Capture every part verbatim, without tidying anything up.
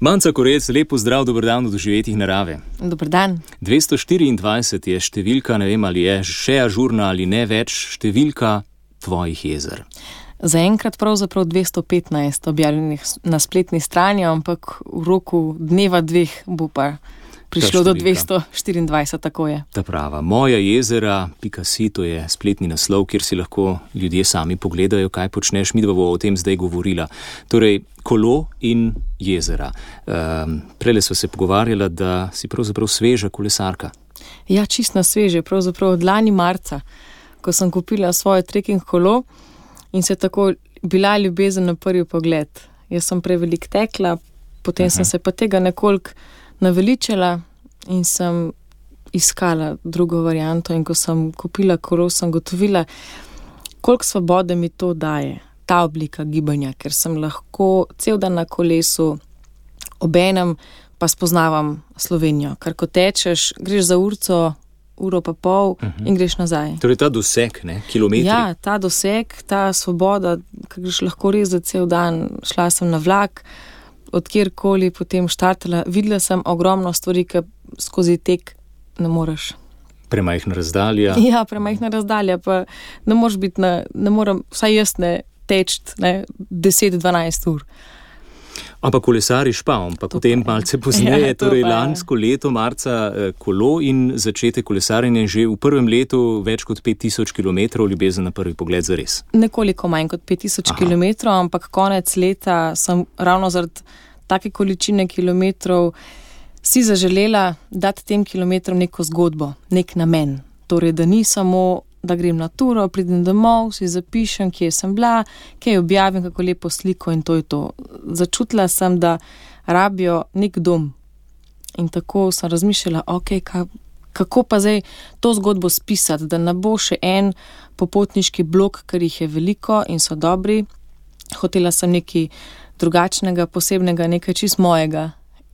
Manca Korec, lep pozdrav, dober dan v doživetjih narave. Dober dan. dvesto štiriindvajset je številka, ne vem, ali je še ažurna ali ne več, številka tvojih jezer. Zaenkrat pravzaprav dvesto petnajst objavljenih na spletni strani, ampak v roku dneva dveh bo pa prišlo do dvesto štiriindvajset, tako je. Ta prava. Moja jezera, pika si, to je spletni naslov, kjer si lahko ljudje sami pogledajo, kaj počneš. Midva bo o tem zdaj govorila. Torej, kolo in jezera. Um, prele sva se pogovarjala, da si pravzaprav sveža kolesarka. Ja, čisto sveže, pravzaprav od lani marca, ko sem kupila svoje trekking kolo in se tako bila ljubezen na prvi pogled. Jaz sem prevelik tekla, potem uh-huh. sem se pa tega nekoliko naveličala in sem iskala drugo varianto, in ko sem kupila kolo, sem gotovila, koliko svobode mi to daje, ta oblika gibanja, ker sem lahko cel dan na kolesu, obenem pa spoznavam Slovenijo, ker ko tečeš, greš za urco, uro pa pol uh-huh. in greš nazaj. Torej ta doseg, ne, kilometri. Ja, ta doseg, ta svoboda, ker greš lahko res za cel dan, šla sem na vlak, od kjerkoli potem štartala, videla sem ogromno stvari, ki skozi tek ne moreš. Premajhna razdalja. Ja, premajhna razdalja, pa ne moreš biti na, ne morem, vsaj jaz ne teči, ne, deset do dvanajst ur. Ampak kolesariš pa, ampak potem malce pozneje, ja, torej lansko leto, marca, kolo in začetek kolesarjenja že v prvem letu več kot pet tisoč kilometrov, ljubezen na prvi pogled zares. Nekoliko manj kot pet tisoč kilometrov, ampak konec leta sem ravno zaradi take količine kilometrov si zaželela dati tem kilometrom neko zgodbo, nek namen. Torej, da ni samo, da grem na turo, pridem domov, si zapišem, kje sem bila, kje objavim, kako lepo sliko in to je to. Začutila sem, da rabijo nek dom. In tako sem razmišljala, ok, ka, kako pa zdaj to zgodbo spisati, da ne bo še en popotniški blok, ker jih je veliko in so dobri. Hotela sem nekaj drugačnega, posebnega, nekaj čist mojega.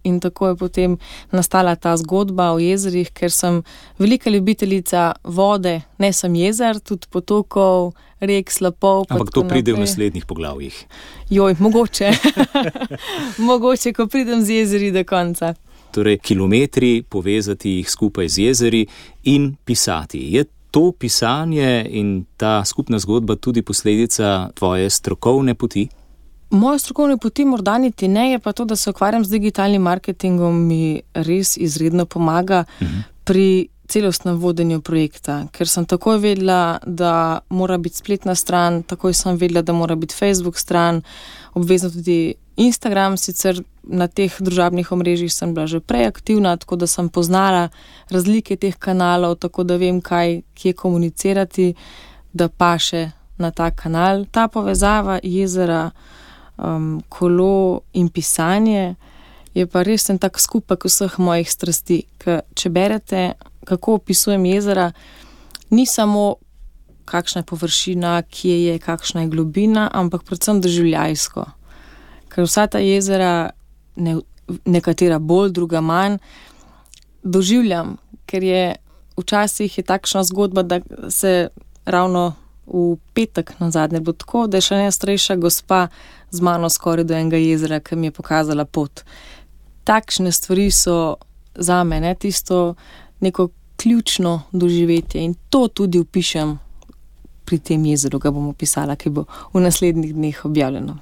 In tako je potem nastala ta zgodba o jezerih, ker sem velika ljubiteljica vode, ne sem jezer, tudi potokov, rek, slapov. Ampak to pride v naslednjih poglavjih. Joj, mogoče. Mogoče, ko pridem z jezeri do konca. Torej, kilometri, povezati jih skupaj z jezeri in pisati. Je to pisanje in ta skupna zgodba tudi posledica tvoje strokovne poti? Moje strokovne poti morda niti ne, je pa to, da se ukvarjam z digitalnim marketingom, mi res izredno pomaga uh-huh. pri celostnem vodenju projekta, ker sem takoj vedela, da mora biti spletna stran, takoj sem vedela, da mora biti Facebook stran, obvezno tudi Instagram, sicer na teh družabnih omrežjih sem bila že prej aktivna, tako da sem poznala razlike teh kanalov, tako da vem, kaj, kje komunicirati, da paše na ta kanal. Ta povezava jezera, Um, kolo in pisanje je pa res en tak skupek vseh mojih strasti. Ker če berete, kako opisujem jezera, ni samo kakšna je površina, kje je, kakšna je globina, ampak predvsem doživljajsko. Ker vsa ta jezera, ne, nekatera bolj, druga manj, doživljam, ker je včasih je takšna zgodba, da se ravno v petek nazadnje bo tako, da je še ena starejša gospa z mano skoraj do enega jezera, ki mi je pokazala pot. Takšne stvari so za mene tisto neko ključno doživetje in to tudi opišem pri tem jezeru, ga bom opisala, ki bo v naslednjih dneh objavljeno.